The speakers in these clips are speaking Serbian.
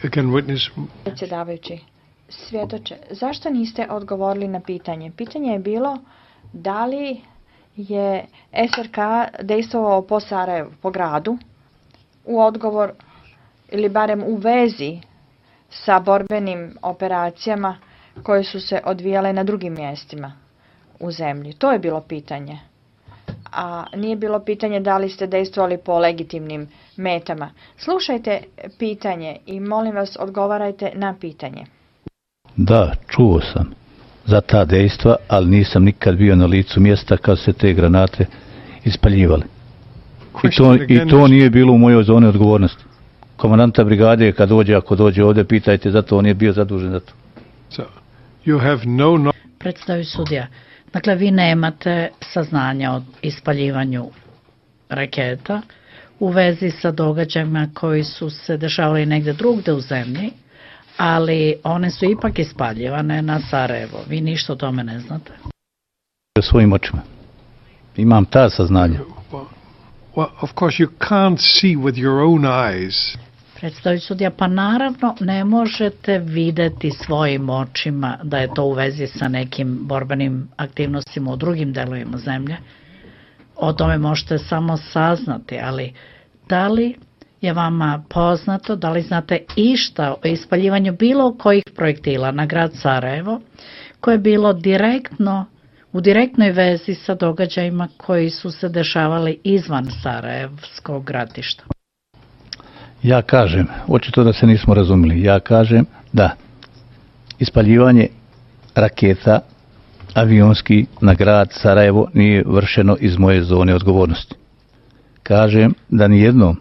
again, witness. Predsjedavajući, svjedoče, zašto niste odgovorili na pitanje? Pitanje je bilo da li je SRK dejstvovao po Sarajevu, po gradu, u odgovor ili barem u vezi sa borbenim operacijama koje su se odvijale na drugim mjestima u zemlji. To je bilo pitanje. A nije bilo pitanje da li ste dejstvovali po legitimnim metama. Slušajte pitanje i molim vas odgovarajte na pitanje. Da, čuo sam za ta dejstva, ali nisam nikad bio na licu mjesta kad se te granate ispaljivali. I to nije bilo u mojoj zoni odgovornosti. Komandanta brigade kad dođe, ako dođe ovdje, pitajte, zato on je bio zadužen za to. So, you have no... Predstavi sudija. Dakle, vi nemate saznanja o ispaljivanju raketa u vezi sa događajima koji su se dešavali negdje drugdje u zemlji, ali one su ipak ispaljivane na Sarajevo. Vi ništa o tome ne znate? Svojim očima. Imam ta saznanja. Well, of course you can't see with your own eyes. Predstavljajući sudija, pa naravno ne možete vidjeti svojim očima da je to u vezi sa nekim borbenim aktivnostima u drugim delovima zemlje. O tome možete samo saznati, ali da li je vama poznato, da li znate išta o ispaljivanju bilo kojih projektila na grad Sarajevo koje je bilo u direktnoj vezi sa događajima koji su se dešavali izvan Sarajevskog ratišta? Ja kažem, očito da se nismo razumjeli, ja kažem da ispaljivanje raketa avionski na grad Sarajevo nije vršeno iz moje zone odgovornosti. Kažem da nijednom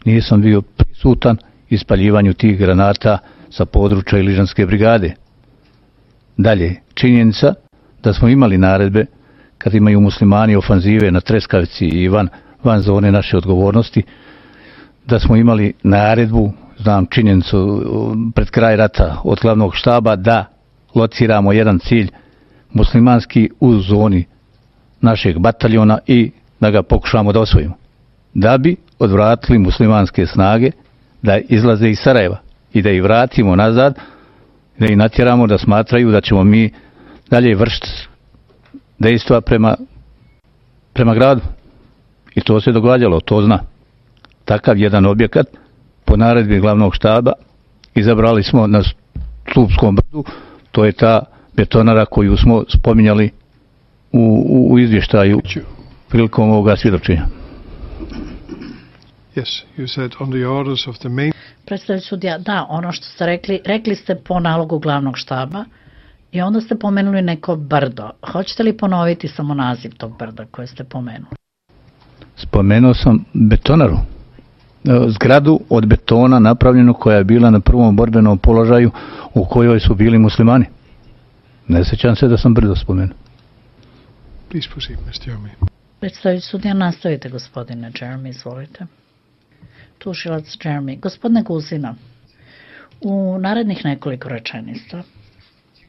nisam bio prisutan ispaljivanju tih granata sa područja Iližanske brigade. Dalje, činjenica da smo imali naredbe kad imaju muslimani ofanzive na Treskavici i van zone naše odgovornosti, da smo imali naredbu, znam činjenicu pred kraj rata od glavnog štaba da lociramo jedan cilj muslimanski u zoni našeg bataljona i da ga pokušamo da osvojimo. Da bi odvratili muslimanske snage da izlaze iz Sarajeva i da ih vratimo nazad, da ih natjeramo da smatraju da ćemo mi dalje vršiti dejstva prema gradu. I to se događalo, to zna. Takav jedan objekat po naredbi glavnog štaba izabrali smo na Stupskom brdu, to je ta betonara koju smo spominjali u izvještaju prilikom ovoga svjedočenja. Yes, you said on the orders of the main... Predstavljajući sudija, da, ono što ste rekli ste po nalogu glavnog štaba i onda ste pomenuli neko brdo. Hoćete li ponoviti samo naziv tog brda koje ste pomenuli? Spomenuo sam betonaru. Zgradu od betona napravljenu koja je bila na prvom borbenom položaju u kojoj su bili muslimani. Ne sjećam se da sam brdo spomenuo. Please proceed, Mr. Jeremy. Predstavljajući sudija, nastavite, gospodine Jeremy, izvolite. Tužilac Jeremy. Gospodine Guzina, u narednih nekoliko rečenica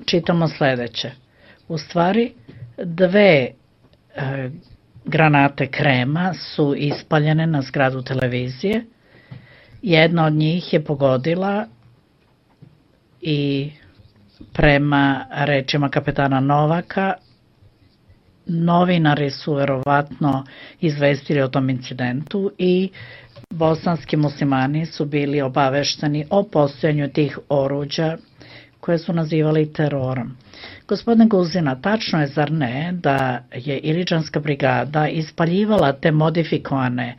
čitamo sljedeće. U stvari, dve granate krema su ispaljene na zgradu televizije. Jedna od njih je pogodila i prema rečima kapetana Novaka, novinari su verovatno izvestili o tom incidentu i bosanski muslimani su bili obavešteni o postojanju tih oruđa koje su nazivali terorom. Gospodine Guzina, tačno je, zar ne, da je Iliđanska brigada ispaljivala te modifikovane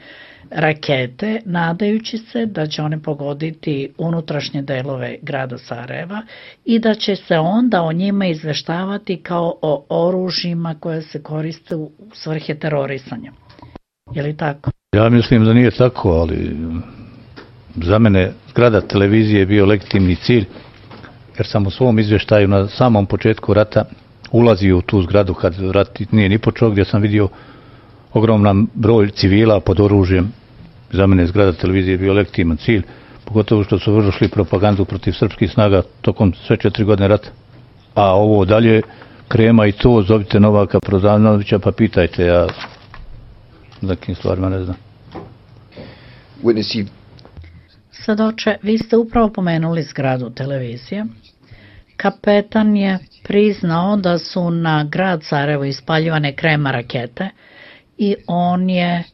rakete, nadajući se da će one pogoditi unutrašnje delove grada Sarajeva i da će se onda o njima izveštavati kao o oružjima koje se koriste u svrhe terorisanja. Je li tako? Ja mislim da nije tako, ali za mene zgrada televizije je bio legitimni cilj, jer sam u svom izvještaju na samom početku rata ulazio u tu zgradu kad rat nije ni počeo, gdje sam vidio ogroman broj civila pod oružjem. Za mene zgrada televizije je bio legitiman cilj, pogotovo što su vršili propagandu protiv srpskih snaga tokom sve 4 godine rata. A ovo dalje, krema i to, zovite Novaka Prozanovića pa pitajte, ja za kim stvarima ne znam. Svedoče, vi ste upravo pomenuli zgradu televizije. Kapetan je priznao da su na grad Sarajevo ispaljivane krema rakete i on je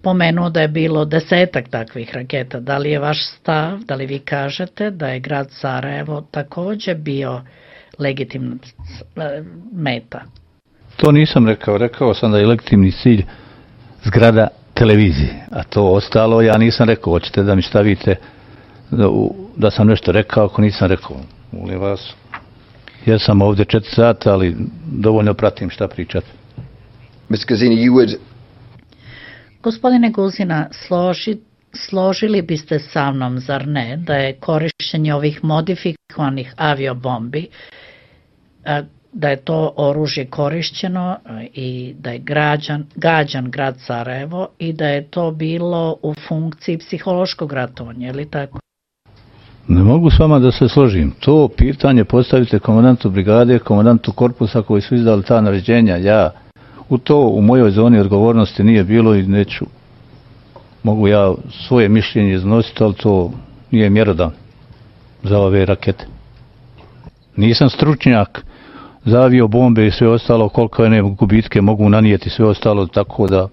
pomenuo da je bilo 10 takvih raketa. Da li je vaš stav, da li vi kažete da je grad Sarajevo takođe bio legitimna meta? To nisam rekao. Rekao sam da je legitimni cilj zgrada televizije. A to ostalo ja nisam rekao. Hoćete da mi stavite da sam nešto rekao ako nisam rekao. Molim vas. Ja sam ovdje 4 sata, ali dovoljno pratim šta pričate. Mr. Guzina, you would... Gospodine Guzina, složili biste sa mnom, zar ne, da je korišćenje ovih modifikovanih aviobombi, da je to oružje korišćeno i da je gađan grad Sarajevo i da je to bilo u funkciji psihološkog ratovanja, je li tako? Ne mogu s vama da se složim. To pitanje postavite komandantu brigade, komandantu korpusa koji su izdali ta naređenja. Ja u mojoj zoni odgovornosti nije bilo i neću. Mogu ja svoje mišljenje iznositi, ali to nije mjerodan za ove rakete. Nisam stručnjak za aviobombe i sve ostalo, koliko je gubitke mogu nanijeti sve ostalo, tako da...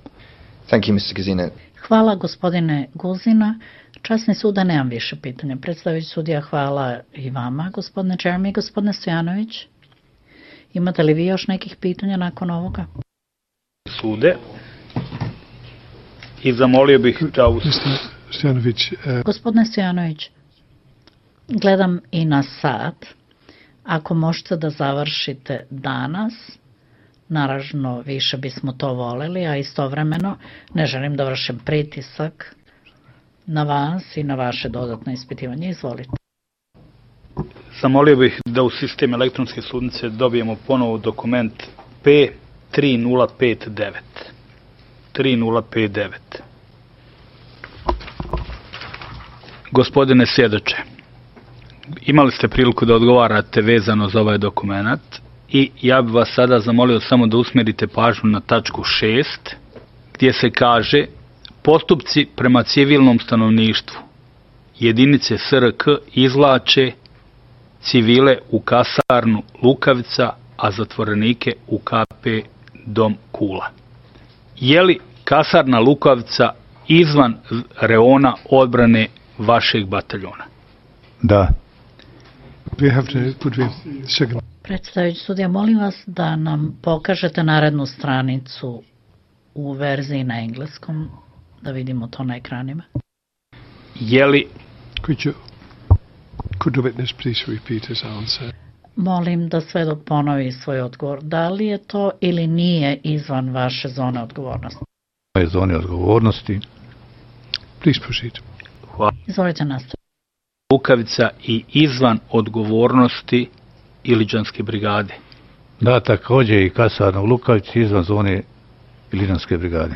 Thank you, Mr. Guzina. Hvala, gospodine Guzina. Časni suda, nemam više pitanja. Predstavljajući sudija, hvala i vama, gospodine Jeremy. Gospodine Stojanović, imate li vi još nekih pitanja nakon ovoga? Sude. I zamolio bih da... Gospodine Stojanović, gledam i na sat. Ako možete da završite danas, naravno više bismo to voleli, a istovremeno ne želim da vršim pritisak na vas i na vaše dodatno ispitivanje. Izvolite. Zamolio bih da u sistem elektronske sudnice dobijemo ponovo dokument P3059. 3059. Gospodine svjedoče, imali ste priliku da odgovarate vezano za ovaj dokument i ja bih vas sada zamolio samo da usmjerite pažnju na tačku 6 gdje se kaže: postupci prema civilnom stanovništvu jedinice SRK izvlače civile u kasarnu Lukavica, a zatvorenike u KP Dom Kula. Je li kasarna Lukavica izvan reona odbrane vašeg bataljona? Da. Predstavljajući sudija, molim vas da nam pokažete narednu stranicu u verziji na engleskom, da vidimo to na ekranima. Je li... Could the witness please repeat his answer? Molim da svedok ponovi svoj odgovor. Da li je to ili nije izvan vaše zone odgovornosti? Moje zone odgovornosti. Please proceed. Hvala. Izvolite nastaviti. Lukavica i izvan odgovornosti Iliđanske brigade. Da, također i kasarna u Lukavici izvan zone Iliđanske brigade.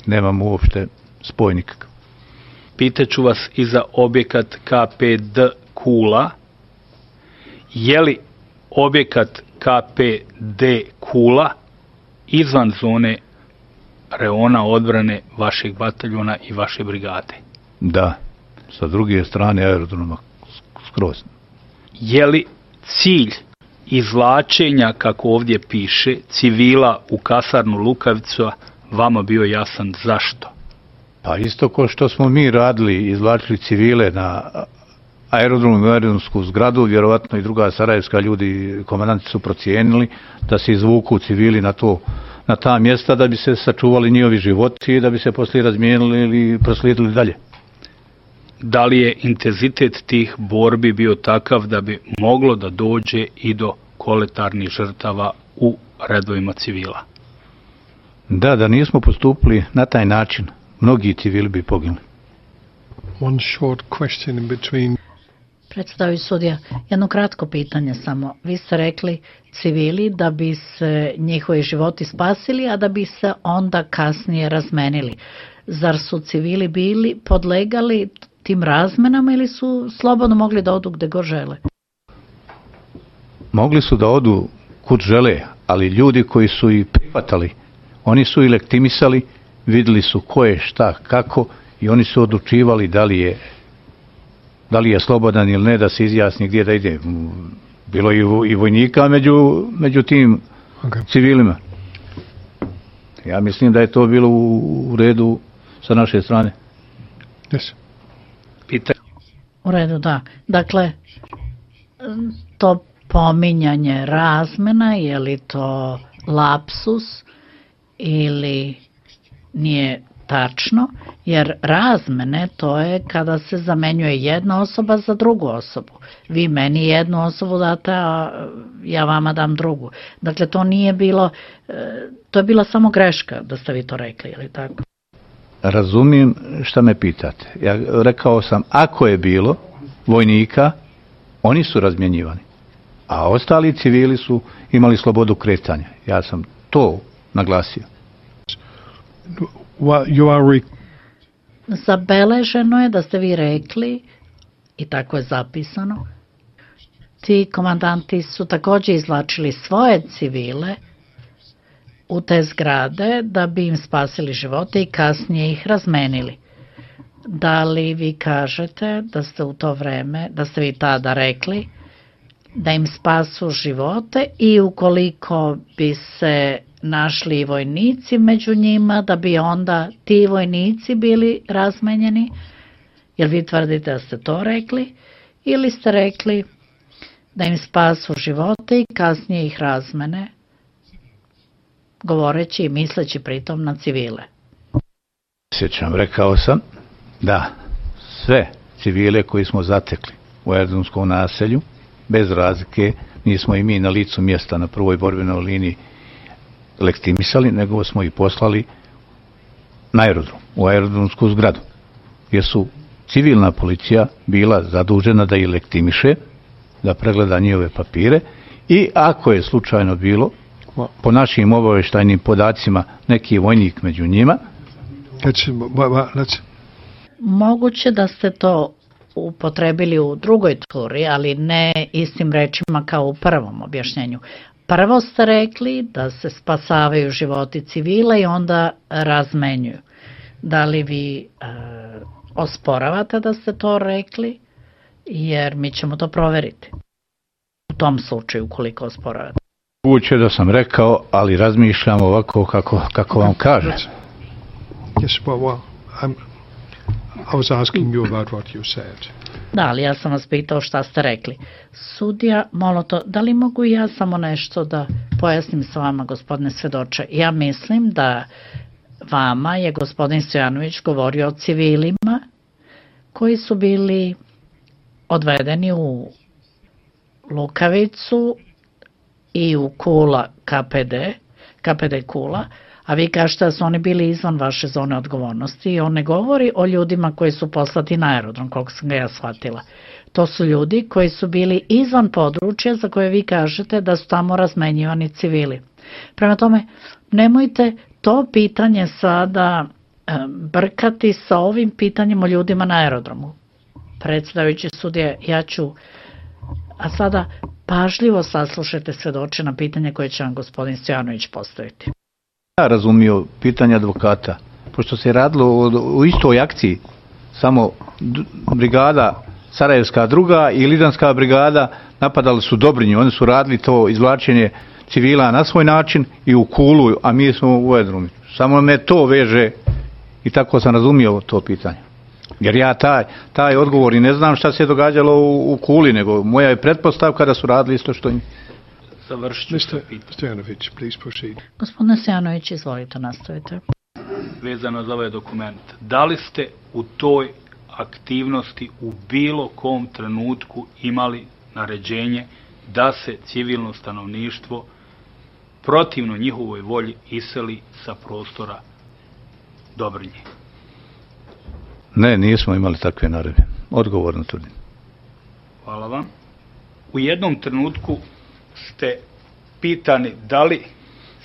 Nemam uopšte spoj nikakav. Pitaću vas i za objekat KPD Kula. Je li objekat KPD Kula izvan zone reona odbrane vašeg bataljona i vaše brigade? Da, sa druge strane aerodroma skroz. Je li cilj izvlačenja, kako ovdje piše, civila u kasarnu Lukavica vama bio jasan zašto? Pa isto ko što smo mi radili, izvlačili civile na aerodromu i aerodromsku zgradu, vjerovatno i druga sarajevska ljudi, komandanti su procijenili da se izvuku civili na ta mjesta da bi se sačuvali njihovi životi i da bi se poslije razmijenili ili proslijedili dalje. Da li je intenzitet tih borbi bio takav da bi moglo da dođe i do koletarnih žrtava u redovima civila? Da nismo postupili na taj način, mnogi civili bi poginuli. One short question in between. Predstavljajući sudija, jedno kratko pitanje samo. Vi ste rekli civili da bi se njihovi životi spasili, a da bi se onda kasnije razmenili. Zar su civili bili podlegali tim razmenama ili su slobodno mogli da odu gde god žele? Mogli su da odu kud žele, ali ljudi koji su ih prihvatali, oni su i lektimisali, vidjeli su ko je šta, kako i oni su odlučivali da li je slobodan ili ne da se izjasni gdje da ide. Bilo je i vojnika među tim civilima. Ja mislim da je to bilo u redu sa naše strane. Yes. Pitanje. U redu, da. Dakle, to pominjanje razmena, je li to lapsus ili nije tačno, jer razmene to je kada se zamenjuje jedna osoba za drugu osobu. Vi meni jednu osobu date, a ja vama dam drugu. Dakle, to nije bilo, to je bila samo greška da ste vi to rekli, je li tako? Razumijem šta me pitate. Ja rekao sam, ako je bilo vojnika, oni su razmjenjivani, a ostali civili su imali slobodu kretanja. Ja sam to naglasio. Zabeleženo je da ste vi rekli, i tako je zapisano, ti komandanti su također izvlačili svoje civile u te zgrade da bi im spasili živote i kasnije ih razmenili. Da li vi kažete da ste u to vreme, da ste vi tada rekli da im spasu živote i ukoliko bi se našli vojnici među njima, da bi onda ti vojnici bili razmenjeni? Jel vi tvrdite da ste to rekli ili ste rekli da im spasu živote i kasnije ih razmene, govoreći i misleći pritom na civile? Sjećam, rekao sam da sve civile koji smo zatekli u Erdrunskom naselju, bez razlike, nismo i mi na licu mjesta na prvoj borbenoj liniji lektimisali, nego smo ih poslali na aerodrom, u aerodromsku zgradu, gdje su civilna policija bila zadužena da ih lektimiše, da pregleda njihove papire i ako je slučajno bilo, po našim obavještajnim podacima, neki vojnik među njima. Moguće da ste to upotrebili u drugoj turi, ali ne istim rečima kao u prvom objašnjenju. Prvo ste rekli da se spasavaju životi civila i onda razmenjuju. Da li vi osporavate da ste to rekli? Jer mi ćemo to proveriti. U tom slučaju, ukoliko osporavate. Moguće da sam rekao, ali razmišljam ovako kako vam kažem. Yes, well, I was asking you about what you said. Da, ali ja sam vas pitao šta ste rekli. Sudija Moloto, da li mogu ja samo nešto da pojasnim s vama, gospodine svedoče? Ja mislim da vama je gospodin Stojanović govorio o civilima koji su bili odvedeni u Lukavicu i u Kula KPD Kula, a vi kažete da su oni bili izvan vaše zone odgovornosti i on ne govori o ljudima koji su poslati na aerodrom, koliko sam ga ja shvatila. To su ljudi koji su bili izvan područja za koje vi kažete da su tamo razmenjivani civili. Prema tome, nemojte to pitanje sada brkati sa ovim pitanjem o ljudima na aerodromu. Predsjedavajući sudije, ja ću, a sada pažljivo saslušajte svedoče na pitanje koje će vam gospodin Stojanović postaviti. Ja razumio pitanje advokata, pošto se radilo o istoj akciji, samo brigada Sarajevska druga i Lidanska brigada napadali su Dobrinju, oni su radili to izvlačenje civila na svoj način i u Kulu, a mi smo u Erdrunu. Samo me to veže i tako sam razumio to pitanje. Jer ja taj odgovor i ne znam šta se događalo u Kuli, nego moja je pretpostavka da su radili isto što im. Mr. Stojanović, please proceed. Gospodine Stojanović, izvolite, nastavite. Vezano za ovaj dokument, da li ste u toj aktivnosti u bilo kom trenutku imali naređenje da se civilno stanovništvo protivno njihovoj volji iseli sa prostora Dobrinje? Ne, nismo imali takve naredbe. Odgovorno tvrdim. Hvala vam. U jednom trenutku ste pitani da li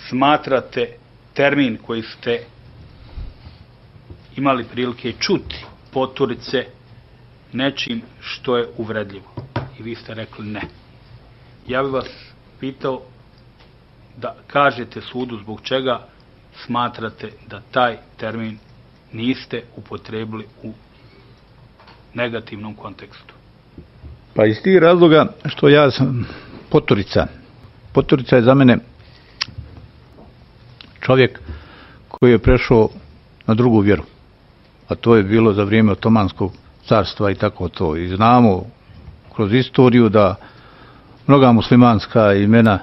smatrate termin koji ste imali prilike čuti poturice nečim što je uvredljivo. I vi ste rekli ne. Ja bih vas pitao da kažete sudu zbog čega smatrate da taj termin niste upotrebili u negativnom kontekstu? Pa iz tih razloga što ja sam poturica. Poturica je za mene čovjek koji je prešao na drugu vjeru. A to je bilo za vrijeme Otomanskog carstva i tako to. I znamo kroz istoriju da mnoga muslimanska imena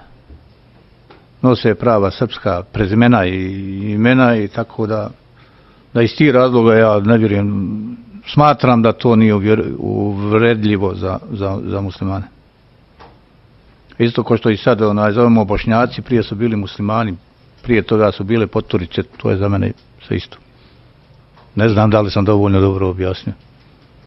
nose prava srpska prezimena i imena i tako da iz tih razloga ja ne vjerujem, smatram da to nije uvredljivo za muslimane. Isto kao što i sad zovemo Bošnjaci, prije su bili muslimani, prije toga su bile poturice, to je za mene sve isto. Ne znam da li sam dovoljno dobro objasnio.